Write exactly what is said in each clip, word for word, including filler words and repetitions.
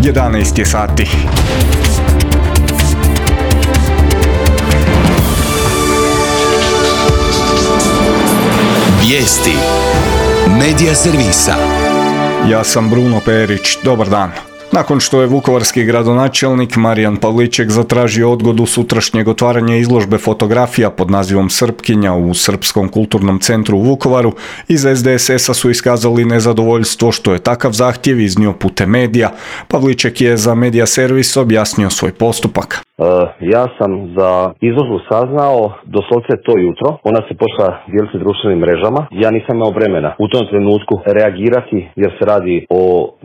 jedanaest je sati. Vijesti Medija servisa. Ja sam Bruno Perić, dobar dan. Nakon što je vukovarski gradonačelnik Marijan Pavliček zatražio odgodu sutrašnjeg otvaranja izložbe fotografija pod nazivom Srpkinja u Srpskom kulturnom centru u Vukovaru, iz es de es es a su iskazali nezadovoljstvo što je takav zahtjev iznio putem medija. Pavliček je za Medija servis objasnio svoj postupak. Uh, ja sam za izložbu saznao doslovce to jutro. Ona se počela dijeliti društvenim mrežama. Ja nisam imao vremena u tom trenutku reagirati jer se radi o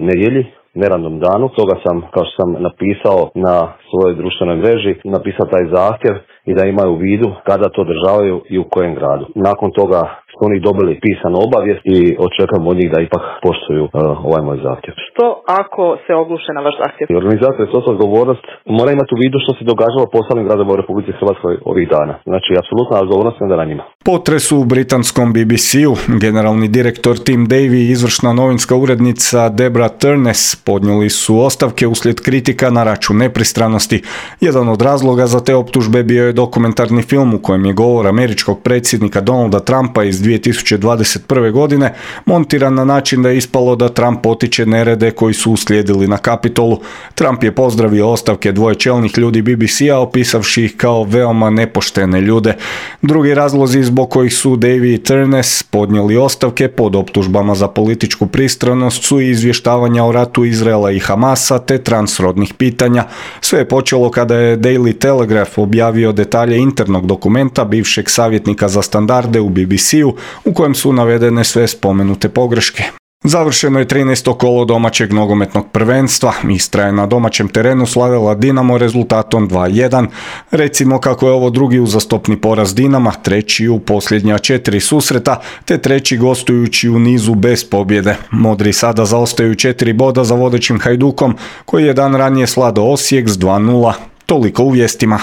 nedjelji, neradnom danu. Toga sam, kao što sam napisao na svojoj društvenoj mreži, napisao taj zahtjev i da imaju u vidu kada to održavaju i u kojem gradu. Nakon toga su oni dobili pisanu obavijest i očekujem od njih da ipak poštuju uh, ovaj moj zahtjev. Što ako se ogluše na vaš zahtjev? Organizator je snosila odgovornost, mora imati u vidu što se događalo po ostalim gradovima u Republici Hrvatskoj ovih dana. Znači, apsolutna odgovornost je na njima. Potres u britanskom be be ce-u, generalni direktor Tim Davie i izvršna novinska urednica Debra Turnes podnijeli su ostavke uslijed kritika na račun nepristranosti. Jedan od razloga za te optužbe bio je dokumentarni film u kojem je govor američkog predsjednika Donalda Trumpa iz dvije tisuće dvadeset prve. godine montiran na način da je ispalo da Trump potiče nerede koji su uslijedili na Kapitolu. Trump je pozdravio ostavke dvoje čelnih ljudi be be ce-a opisavši ih kao veoma nepoštene ljude. Drugi razlozi zbog kojih su Davie i Turnes podnijeli ostavke pod optužbama za političku pristranost su i izvještavanja o ratu Izraela i Hamasa te transrodnih pitanja. Sve je počelo kada je Daily Telegraph objavio detalje internog dokumenta bivšeg savjetnika za standarde u be be ce-u u kojem su navedene sve spomenute pogreške. Završeno je trinaesto kolo domaćeg nogometnog prvenstva. Istra je na domaćem terenu slavila Dinamo rezultatom dva jedan. Recimo kako je ovo drugi uzastopni poraz Dinama, treći u posljednja četiri susreta, te treći gostujući u nizu bez pobjede. Modri sada zaostaju četiri boda za vodećim Hajdukom, koji je dan ranije slado Osijek s dva nula. Toliko u vijestima.